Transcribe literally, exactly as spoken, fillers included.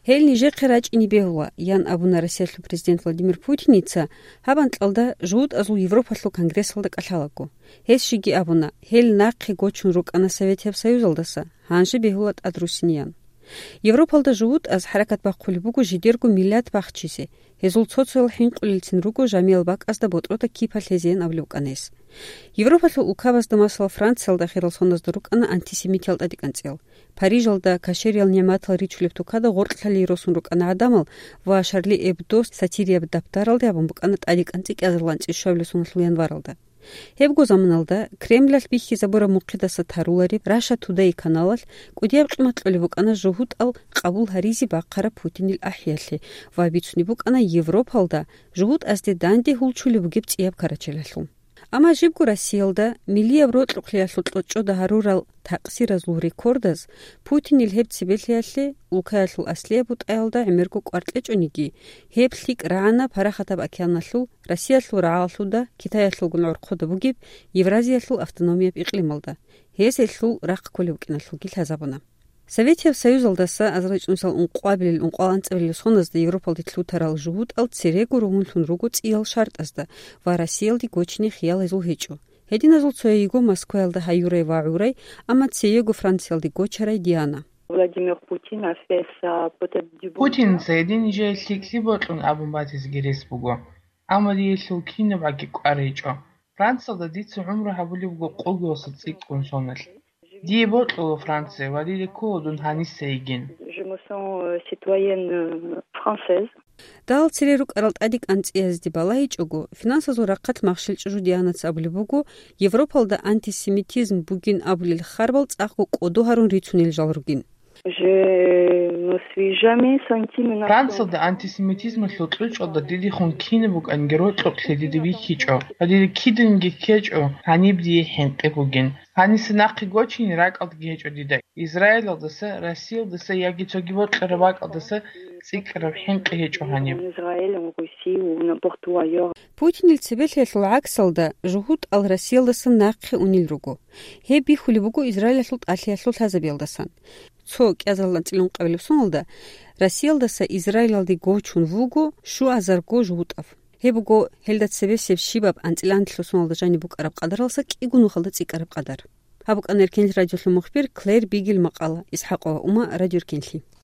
Гьел нижехъе рачӀине бегьула, ян абуна Россиялъул президент Владимир Путиница гьаб анкьалда жугьутӀазул Европалъул конгрессалда кӀалъалаго. Гьес щиги абуна, гьел нахъе гочун рукӀана Советияб Союзалдаса, гьанже бегьула тӀад руссиниян. Европалда жугьутӀаз хӀаракат бахъулеб буго жидерго миллат бахчизе, гьезул цо-цоял хӀинкъулелцин руго жамиял бакӀазда ботӀрода кипалъ гьезеян абулеб букӀана гьес. Европалъул улкабазда, масала, Франциялда ахирал соназда рукӀана антисемитиял тӀадекӀанцӀиял. Парижалда кашериял нигӀматал ричулеб тукада гъоркьлъалие росун рукӀана гӀадамал ва Шарли Эбдо сатирияб даптаралде гьабун букӀана тӀадекӀанцӀи кӀиазарилан цӀишшабилеб соналъул январалда. Гьебго заманалда Кремлалъ бихьизабураб мухъидаса тарулареб Russia Today каналалъ кӀудияб къимат кьолеб букӀана жугьутӀал къабул гьаризе бахъараб Путинил ахӀиялъе ва бицунеб букӀана Европалда жугьутӀазде данде гьулчулеб бугеб цӀияб карачелалъул. Амма жибго Россиялда миллияб рокьукълъиялъул кьочӀода гьарурал такъсиразул рекордаз Путинил гьеб цебелъиялъе улкаялъул аслияб бутӀаялда гӀемерго кӀвар кьечӀониги, гьеб лъикӀ рагӀана Парахатаб океаналъул, Россиялъул рагӀалалъуда, Китаялъулгун гӀорхъуда бугеб Евразиялъул автономияб икълималда, гьез гьелъул рахъ кколеб букӀиналъулги лъазабуна. Советияб Союзалдаса азарилчӀунсал ункъоабилел-ункъоялда анцӀабилеб соназда Европалде лъутарал жугьутӀал церего ругьунлъун руго цӀиял шартӀазда ва Россиялде гочине хиял гьезул гьечӀо. Гьединазул цояйиго Москваялда гьаюрай ва гӀурай, амма цеего Франциялде гочарай Диана. Владимир Путин а fait sa peut-être du bon Путинца гьедин жай лъикӀлъи бокьун абун батизеги рес буго, амма диялъул кинабгӀаги кӀвар гьечӀо. Франциялда дица гӀумру гьабулеб буго къоялдаса цӀикӀкӀун соналъ. Дие бокьула Франция ва дида ккола дун гьаниса йигин. Je me sens, euh, citoyenne, euh, française. Дагьал цере рукӀарал тӀадекӀанцӀиязде балагьичӀого, финансазул рахъалъ махщел чӀужу Дианаца абулеб буго, Европалда антисемитизм бугин абулел харбал цӀакъго кӀодо гьарун рицунел жал ругин. Je me suis jamais sentie menacée. Франциялда антисемитизмалъул кьучӀалда дидехун кинаб букӀанги рокьукълъи дида бихьичӀо ва дида киданги ккечӀо гьаниб дие хӀинкъи бугин. Гьаниса нахъе гочине ракӀалдаги гьечӀо дида. Израилалдаса, Россиялдаса яги цоги бокьараб бакӀалдаса цӀикӀкӀараб хӀинкъи гьечӀо гьаниб. En Israël, en Russie ou n'importe où ailleurs. Путинил цебелъиялъул гӀаксалда жугьутӀал Россиялдаса нахъе унел руго. Гьеб бихьулеб буго Израилалъул тӀалъиялъул лъазабиялдасан. Цо кӀиазарилан цӀилун къабилеб соналда Россиялдаса Израилалде гочун вуго щуазарго жугьутӀав. Гьеб буго гьелда цебесеб щибаб анцӀила анлъго соналда жаниб букӀараб къадаралдаса кӀиго нухалда цӀикӀкӀараб къадар. Гьаб букӀана Эркенлъи радиолъул мухбир Клэр Бигел макъала, ИсхӀакъова Ума, Радио Эркенлъи.